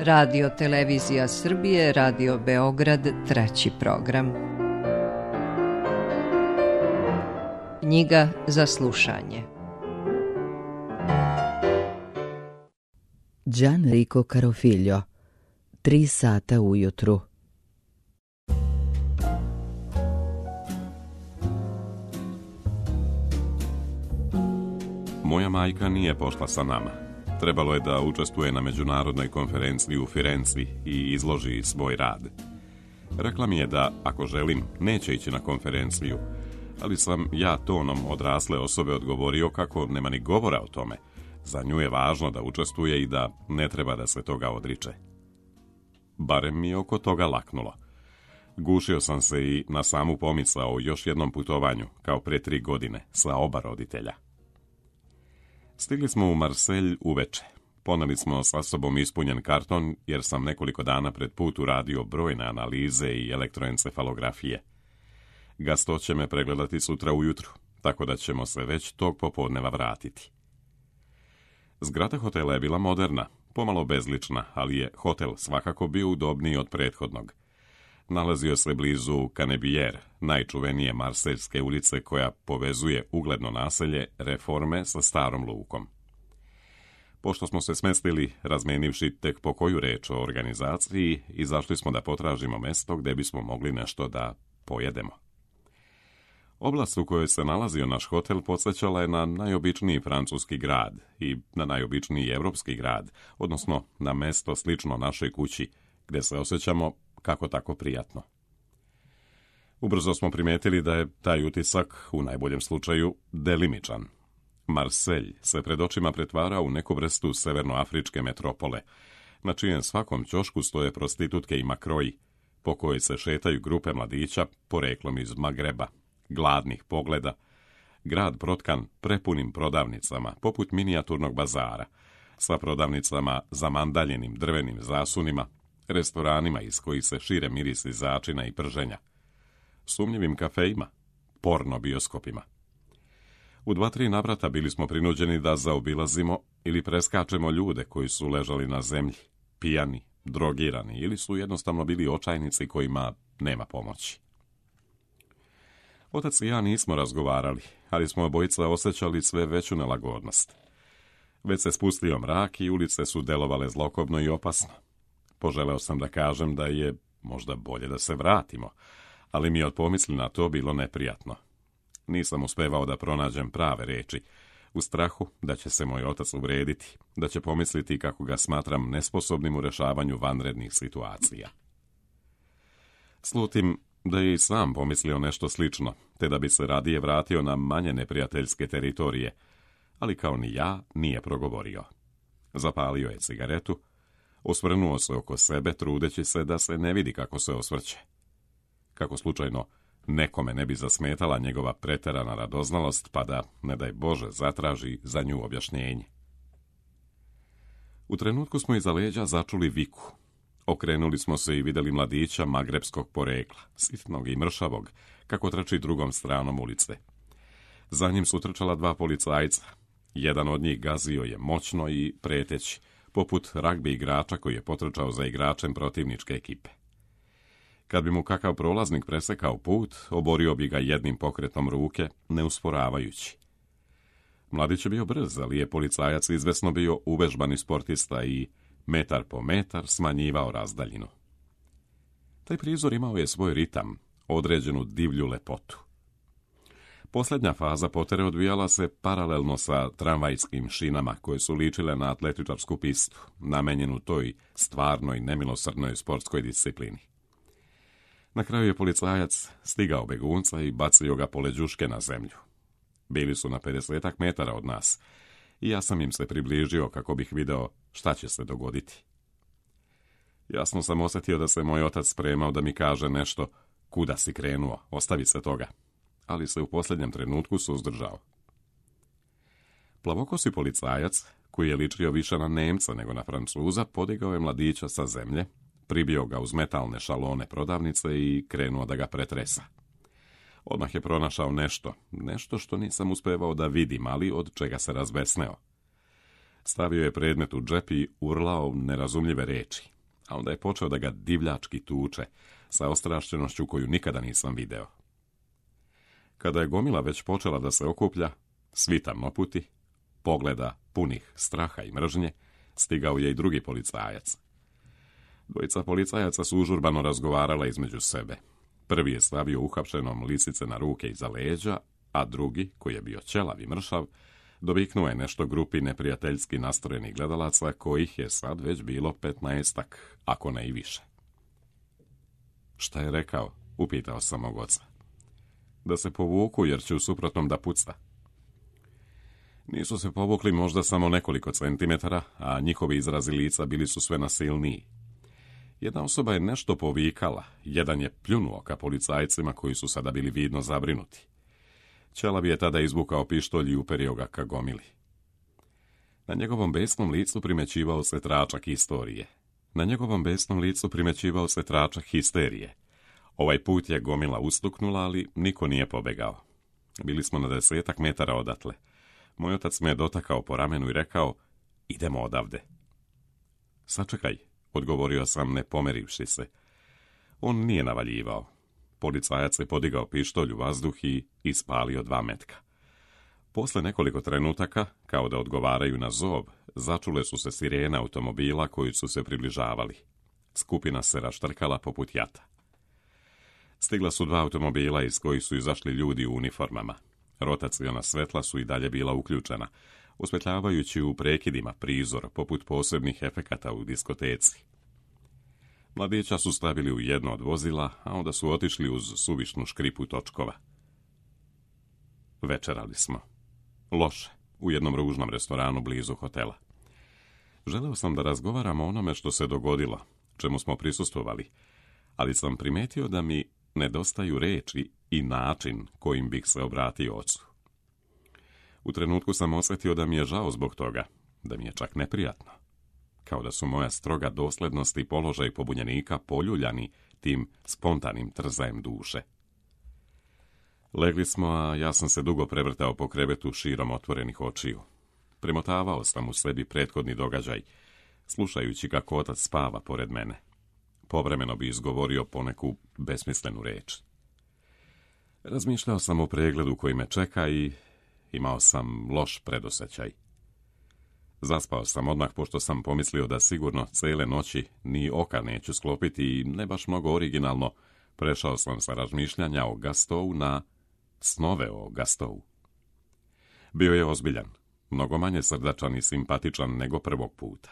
Radio Televizija Srbije, Radio Beograd, treći program. Knjiga za slušanje. Gianrico Carofiglio, 3 sata ujutru. Moja majka nije pošla sa nama. Trebalo je da učestvuje na međunarodnoj konferenciji u Firenci i izloži svoj rad. Rekla mi je da, ako želim, neće ići na konferenciju, ali sam ja tonom odrasle osobe odgovorio kako nema ni govora o tome. Za nju je važno da učestvuje i da ne treba da se toga odriče. Barem mi je oko toga laknulo. Gušio sam se i na samu pomisao o još jednom putovanju, kao pre 3 godine, sa oba roditelja. Stigli smo u Marselj uveče. Poneli smo sa sobom ispunjen karton, jer sam nekoliko dana pred put uradio brojne analize i elektroencefalografije. Gasto će me pregledati sutra ujutru, tako da ćemo se već tog popodneva vratiti. Zgrada hotela je bila moderna, pomalo bezlična, ali je hotel svakako bio udobniji od prethodnog. Nalazio se blizu Canebière, najčuvenije marseljske ulice koja povezuje ugledno naselje Reforme sa starom lukom. Pošto smo se smestili, razmenivši tek po koju reč o organizaciji, izašli smo da potražimo mesto gde bismo mogli nešto da pojedemo. Oblast u kojoj se nalazio naš hotel podsjećala je na najobičniji francuski grad i na najobičniji evropski grad, odnosno na mesto slično našoj kući, gde se osjećamo kako tako prijatno. Ubrzo smo primetili da je taj utisak, u najboljem slučaju, delimičan. Marselj se pred očima pretvara u neku vrstu severnoafričke metropole, na čijem svakom ćošku stoje prostitutke i makroji, po kojoj se šetaju grupe mladića poreklom iz Magreba, gladnih pogleda, grad protkan prepunim prodavnicama, poput minijaturnog bazara, sa prodavnicama zamandaljenim drvenim zasunima, restoranima iz kojih se šire mirisi začina i prženja, sumnjivim kafejima, porno bioskopima. U 2-3 navrata bili smo prinuđeni da zaobilazimo ili preskačemo ljude koji su ležali na zemlji, pijani, drogirani ili su jednostavno bili očajnici kojima nema pomoći. Otac i ja nismo razgovarali, ali smo obojica osjećali sve veću nelagodnost. Već se spustio mrak i ulice su delovale zlokobno i opasno. Poželeo sam da kažem da je možda bolje da se vratimo, ali mi je od pomisli na to bilo neprijatno. Nisam uspevao da pronađem prave reči, u strahu da će se moj otac uvrediti, da će pomisliti kako ga smatram nesposobnim u rešavanju vanrednih situacija. Slutim da je i sam pomislio nešto slično, te da bi se radije vratio na manje neprijateljske teritorije, ali kao ni ja nije progovorio. Zapalio je cigaretu, osvrnuo se oko sebe, trudeći se da se ne vidi kako se osvrće. Kako slučajno nekome ne bi zasmetala njegova preterana radoznalost, pa da, ne daj Bože, zatraži za nju objašnjenje. U trenutku smo iza leđa začuli viku. Okrenuli smo se i vidjeli mladića magrebskog porekla, sitnog i mršavog, kako trči drugom stranom ulice. Za njim su trčala 2 policajca. Jedan od njih gazio je moćno i preteći, poput ragbi igrača koji je potrčao za igračem protivničke ekipe. Kad bi mu kakav prolaznik presekao put, oborio bi ga jednim pokretom ruke, ne usporavajući. Mladić je bio brz, ali je policajac izvesno bio uvežbani sportista i metar po metar smanjivao razdaljinu. Taj prizor imao je svoj ritam, određenu divlju lepotu. Posljednja faza potere odvijala se paralelno sa tramvajskim šinama koje su ličile na atletičarsku pistu, namenjenu toj stvarnoj nemilosrdnoj sportskoj disciplini. Na kraju je policajac stigao begunca i bacio ga poleđuške na zemlju. Bili su na 50 metara od nas i ja sam im se približio kako bih video šta će se dogoditi. Jasno sam osjetio da se moj otac spremao da mi kaže nešto, kuda si krenuo, ostavi se toga, ali se u posljednjem trenutku suzdržao. Plavokosi policajac, koji je ličio više na Nemca nego na Francuza, podigao je mladića sa zemlje, pribio ga uz metalne šalone prodavnice i krenuo da ga pretresa. Odmah je pronašao nešto što nisam uspevao da vidim, ali od čega se razbesneo. Stavio je predmet u džep i urlao nerazumljive reči, a onda je počeo da ga divljački tuče, sa ostrašćenošću koju nikada nisam video. Kada je gomila već počela da se okuplja, svi tamnoputi, pogleda punih straha i mržnje, stigao je i drugi policajac. Dvojica policajaca su užurbano razgovarala između sebe. Prvi je stavio uhapšenom lisice na ruke iza leđa, a drugi, koji je bio ćelav i mršav, doviknuo je nešto grupi neprijateljski nastrojenih gledalaca, kojih je sad već bilo 15-ak, ako ne i više. Šta je rekao? Upitao sam mog oca. Da se povuku, jer će u suprotnom da pucta. Nisu se povukli možda samo nekoliko centimetara, a njihovi izrazi lica bili su sve nasilniji. Jedna osoba je nešto povikala, jedan je pljunuo ka policajcima koji su sada bili vidno zabrinuti. Ćelav je tada izvukao pištolj i uperio ga ka gomili. Na njegovom besnom licu primećivao se tračak histerije. Ovaj put je gomila ustuknula, ali niko nije pobegao. Bili smo na 10 metara odatle. Moj otac me je dotakao po ramenu i rekao, idemo odavde. Sačekaj, odgovorio sam ne pomerivši se. On nije navaljivao. Policajac je podigao pištolj u vazduh i ispalio 2 metka. Posle nekoliko trenutaka, kao da odgovaraju na zov, začule su se sirene automobila koji su se približavali. Skupina se raštrkala poput jata. Stigla su 2 automobila iz kojih su izašli ljudi u uniformama. Rotaciona svetla su i dalje bila uključena, osvetljavajući u prekidima prizor poput posebnih efekata u diskoteci. Mladića su stavili u jedno od vozila, a onda su otišli uz suvišnu škripu točkova. Večerali smo. Loše, u jednom ružnom restoranu blizu hotela. Želeo sam da razgovaram o onome što se dogodilo, čemu smo prisustvovali, ali sam primetio da mi nedostaju reči i način kojim bih se obratio ocu. U trenutku sam osjetio da mi je žao zbog toga, da mi je čak neprijatno. Kao da su moja stroga doslednost i položaj pobunjenika poljuljani tim spontanim trzajem duše. Legli smo, a ja sam se dugo prevrtao po krevetu širom otvorenih očiju. Premotavao sam u sebi prethodni događaj, slušajući kako otac spava pored mene. Povremeno bi izgovorio poneku besmislenu reč. Razmišljao sam o pregledu koji me čeka i imao sam loš predosjećaj. Zaspao sam odmah, pošto sam pomislio da sigurno cele noći ni oka neću sklopiti i ne baš mnogo originalno prešao sam sa razmišljanja o Gastovu na snove o Gastovu. Bio je ozbiljan, mnogo manje srdačan i simpatičan nego prvog puta.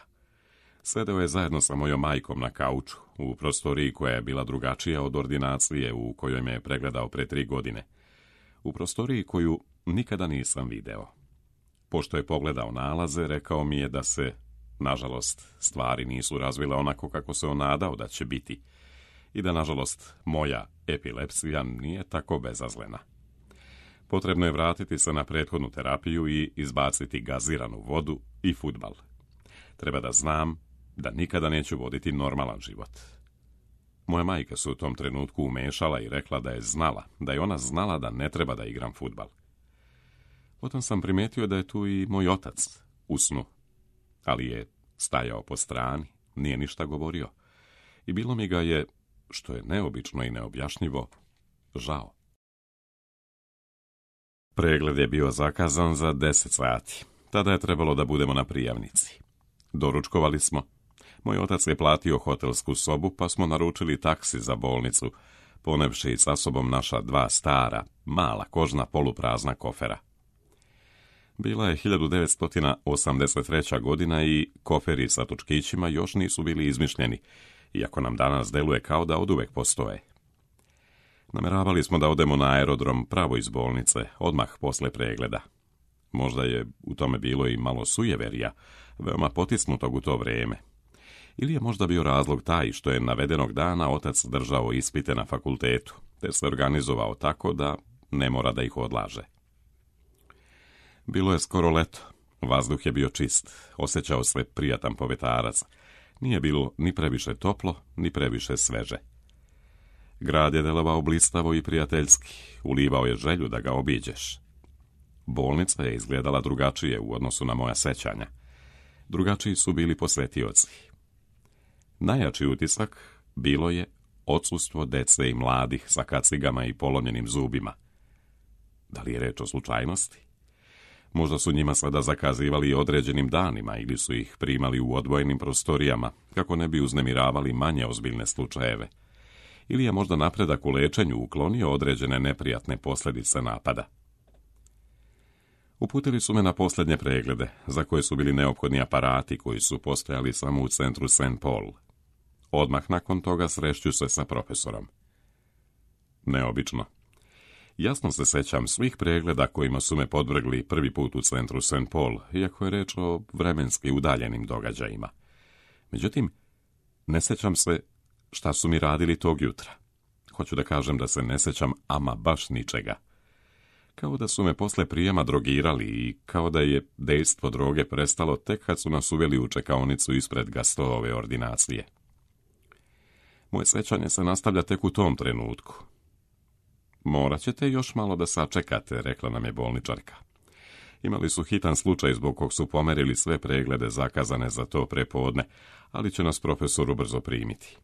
Sedeo je zajedno sa mojom majkom na kauču, u prostoriji koja je bila drugačija od ordinacije u kojoj me je pregledao pre 3 godine. U prostoriji koju nikada nisam video. Pošto je pogledao nalaze, rekao mi je da se, nažalost, stvari nisu razvile onako kako se on nadao da će biti i da, nažalost, moja epilepsija nije tako bezazlena. Potrebno je vratiti se na prethodnu terapiju i izbaciti gaziranu vodu i fudbal. Treba da znam da nikada neću voditi normalan život. Moja majka se u tom trenutku umešala i rekla da je ona znala da ne treba da igram fudbal. Potom sam primetio da je tu i moj otac u snu, ali je stajao po strani, nije ništa govorio i bilo mi ga je, što je neobično i neobjašnjivo, žao. Pregled je bio zakazan za 10 sati. Tada je trebalo da budemo na prijavnici. Doručkovali smo. Moj otac je platio hotelsku sobu, pa smo naručili taksi za bolnicu, ponevši sa sobom naša 2 stara, mala kožna poluprazna kofera. Bila je 1983. godina i koferi sa točkićima još nisu bili izmišljeni, iako nam danas deluje kao da oduvek postoje. Nameravali smo da odemo na aerodrom pravo iz bolnice, odmah posle pregleda. Možda je u tome bilo i malo sujeverija, veoma potisnutog u to vreme. Ili je možda bio razlog taj što je navedenog dana otac držao ispite na fakultetu, te se organizovao tako da ne mora da ih odlaže. Bilo je skoro leto, vazduh je bio čist, osjećao se prijatan povetarac, nije bilo ni previše toplo, ni previše sveže. Grad je delovao blistavo i prijateljski, ulivao je želju da ga obiđeš. Bolnica je izgledala drugačije u odnosu na moja sećanja. Drugačiji su bili posjetioci. Najjači utisak bilo je odsustvo dece i mladih sa kacigama i polomljenim zubima. Da li je reč o slučajnosti? Možda su njima sada zakazivali određenim danima ili su ih primali u odvojenim prostorijama, kako ne bi uznemiravali manje ozbiljne slučajeve. Ili je možda napredak u lečenju uklonio određene neprijatne posljedice napada. Uputili su me na posljednje preglede, za koje su bili neophodni aparati koji su postojali samo u centru St. Paul. Odmah nakon toga srešću se sa profesorom. Neobično. Jasno se sećam svih pregleda kojima su me podvrgli prvi put u centru St. Paul, iako je reč o vremenski udaljenim događajima. Međutim, ne sećam se šta su mi radili tog jutra. Hoću da kažem da se ne sećam ama baš ničega. Kao da su me posle prijema drogirali i kao da je dejstvo droge prestalo tek kad su nas uveli u čekaonicu ispred Gastovove ordinacije. Moje sećanje se nastavlja tek u tom trenutku. Morat ćete još malo da sačekate, rekla nam je bolničarka. Imali su hitan slučaj zbog kog su pomerili sve preglede zakazane za to prepodne, ali će nas profesor ubrzo primiti.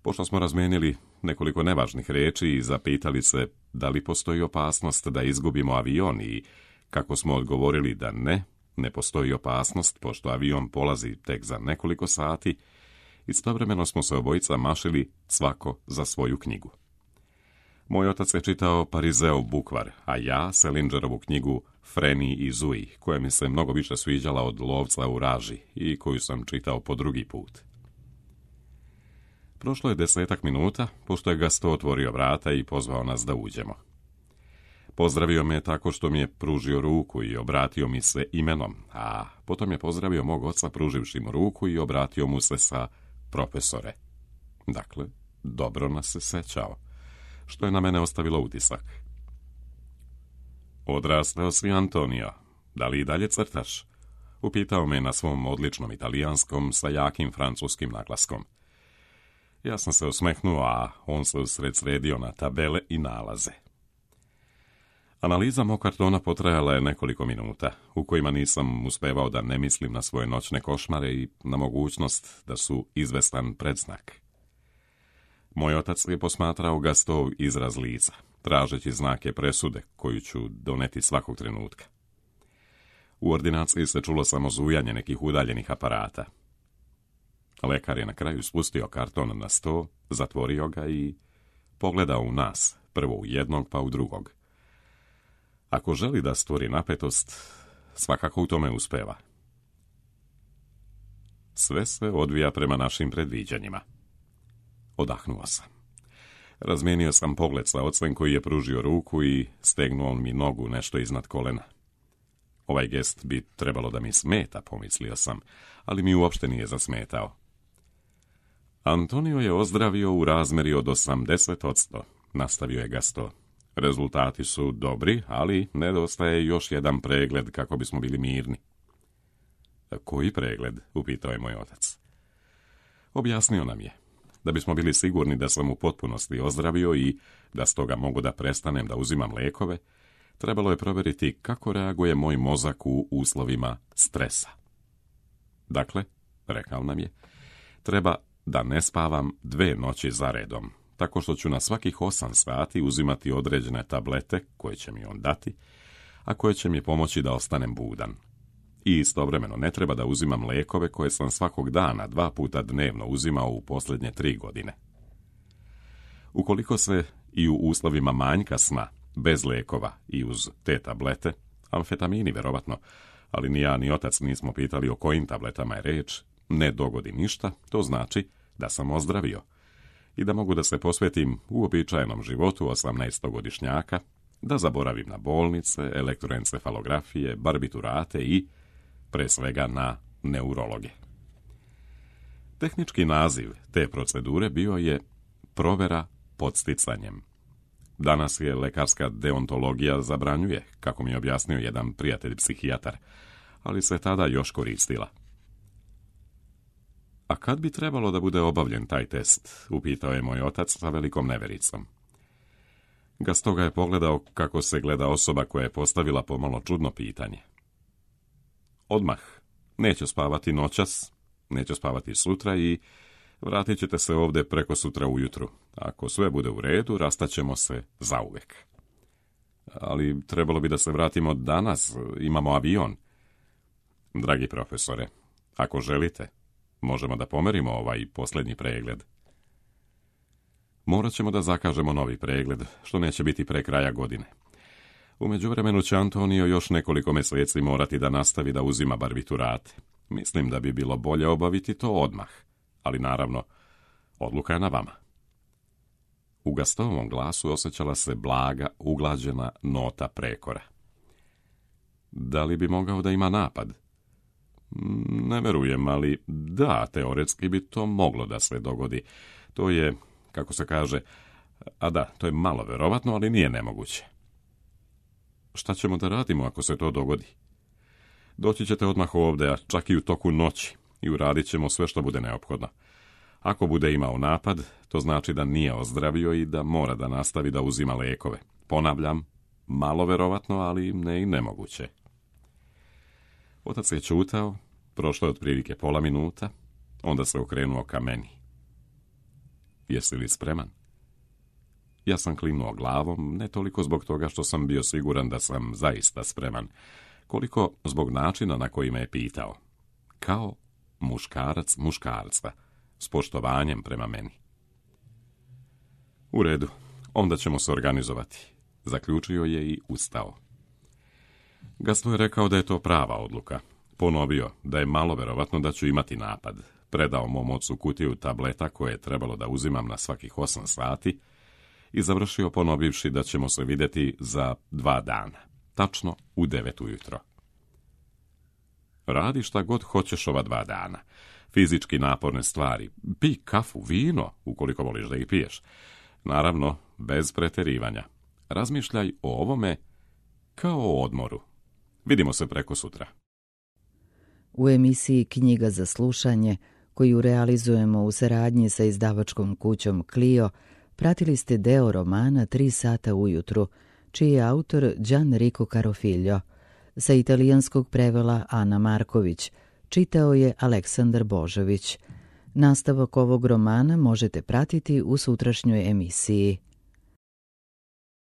Pošto smo razmenili nekoliko nevažnih reči i zapitali se da li postoji opasnost da izgubimo avion i kako smo odgovorili da ne postoji opasnost pošto avion polazi tek za nekoliko sati, istovremeno smo se obojica mašili svako za svoju knjigu. Moj otac je čitao Parizeov bukvar, a ja Selingerovu knjigu Freni i Zui, koja mi se mnogo više sviđala od Lovca u raži i koju sam čitao po drugi put. Prošlo je 10 minuta, pošto je Gasto otvorio vrata i pozvao nas da uđemo. Pozdravio me tako što mi je pružio ruku i obratio mi se imenom, a potom je pozdravio mog oca pruživši mu ruku i obratio mu se sa profesore. Dakle, dobro nas se sećao, što je na mene ostavilo utisak. Odrastao si, Antonio, da li i dalje crtaš? Upitao me na svom odličnom italijanskom sa jakim francuskim naglaskom. Ja sam se osmehnuo, a on se usred sredio na tabele i nalaze. Analiza mog kartona potrajala je nekoliko minuta, u kojima nisam uspevao da ne mislim na svoje noćne košmare i na mogućnost da su izvestan predznak. Moj otac je posmatrao Gastov izraz lica, tražeći znake presude koju ću doneti svakog trenutka. U ordinaciji se čulo samo zujanje nekih udaljenih aparata. Lekar je na kraju spustio karton na sto, zatvorio ga i pogledao u nas, prvo u jednog pa u drugog. Ako želi da stvori napetost, svakako u tome uspeva. Sve se odvija prema našim predviđanjima. Odahnuo sam. Razmijenio sam pogled sa ocem koji je pružio ruku i stegnuo mi nogu nešto iznad kolena. Ovaj gest bi trebalo da mi smeta, pomislio sam, ali mi uopšte nije zasmetao. Antonio je ozdravio u razmeri od 80%, nastavio je Gasto. Rezultati su dobri, ali nedostaje još jedan pregled kako bismo bili mirni. Koji pregled? Upitao je moj otac. Objasnio nam je. Da bismo bili sigurni da sam u potpunosti ozdravio i da stoga mogu da prestanem da uzimam lekove, trebalo je provjeriti kako reaguje moj mozak u uslovima stresa. Dakle, rekao nam je, treba da ne spavam 2 noći za redom, tako što ću na svakih 8 sati uzimati određene tablete koje će mi on dati, a koje će mi pomoći da ostanem budan. I istovremeno ne treba da uzimam lekove koje sam svakog dana 2 puta dnevno uzimao u posljednje 3 godine. Ukoliko se i u uslovima manjka sna, bez lekova i uz te tablete, amfetamini verovatno, ali ni ja ni otac nismo pitali o kojim tabletama je reč, ne dogodi ništa, to znači da sam ozdravio i da mogu da se posvetim uobičajenom životu 18-godišnjaka, da zaboravim na bolnice, elektroencefalografije, barbiturate i, pre svega, na neurologe. Tehnički naziv te procedure bio je provera podsticanjem. Danas je lekarska deontologija zabranjuje, kako mi je objasnio jedan prijatelj psihijatar, ali se tada još koristila. A kad bi trebalo da bude obavljen taj test, upitao je moj otac sa velikom nevericom. Gasto ga je pogledao kako se gleda osoba koja je postavila pomalo čudno pitanje. Odmah, Neće spavati noćas, neće spavati sutra i vratit ćete se ovdje preko sutra ujutru. Ako sve bude u redu, rastaćemo se zauvek. Ali trebalo bi da se vratimo danas, imamo avion. Dragi profesore, ako želite, možemo da pomerimo ovaj posljednji pregled. Morat ćemo da zakažemo novi pregled, što neće biti pre kraja godine. U međuvremenu će Antonio još nekoliko mjeseci morati da nastavi da uzima barbiturate. Mislim da bi bilo bolje obaviti to odmah, ali naravno, odluka je na vama. U Gastonovom glasu osjećala se blaga, uglađena nota prekora. Da li bi mogao da ima napad? Ne verujem, ali da, teoretski bi to moglo da se dogodi. To je, kako se kaže, a da, to je malo verovatno, ali nije nemoguće. Šta ćemo da radimo ako se to dogodi? Doći ćete odmah ovdje, a čak i u toku noći, i uradit ćemo sve što bude neophodno. Ako bude imao napad, to znači da nije ozdravio i da mora da nastavi da uzima lekove. Ponavljam, malo verovatno, ali ne i nemoguće. Otac je čutao, prošlo je otprilike pola minuta, onda se okrenuo ka meni. Jesi li spreman? Ja sam klimnuo glavom, ne toliko zbog toga što sam bio siguran da sam zaista spreman, koliko zbog načina na koji me je pitao. Kao muškarac muškarca, s poštovanjem prema meni. U redu, onda ćemo se organizovati, zaključio je i ustao. Gaston je rekao da je to prava odluka. Ponovio da je malo verovatno da ću imati napad. Predao mom ocu kutiju tableta koje je trebalo da uzimam na svakih 8 sati i završio ponovivši da ćemo se vidjeti za 2 dana, tačno u 9 ujutro. Radi šta god hoćeš ova 2 dana. Fizički naporne stvari. Pi kafu, vino, ukoliko voliš da ih piješ. Naravno, bez preterivanja. Razmišljaj o ovome kao o odmoru. Vidimo se preko sutra. U emisiji Knjiga za slušanje, koju realizujemo u saradnji sa izdavačkom kućom Clio, pratili ste deo romana 3 sata ujutru, čiji je autor Gianrico Carofiglio. Sa italijanskog prevela Ana Marković, čitao je Aleksandar Božović. Nastavak ovog romana možete pratiti u sutrašnjoj emisiji.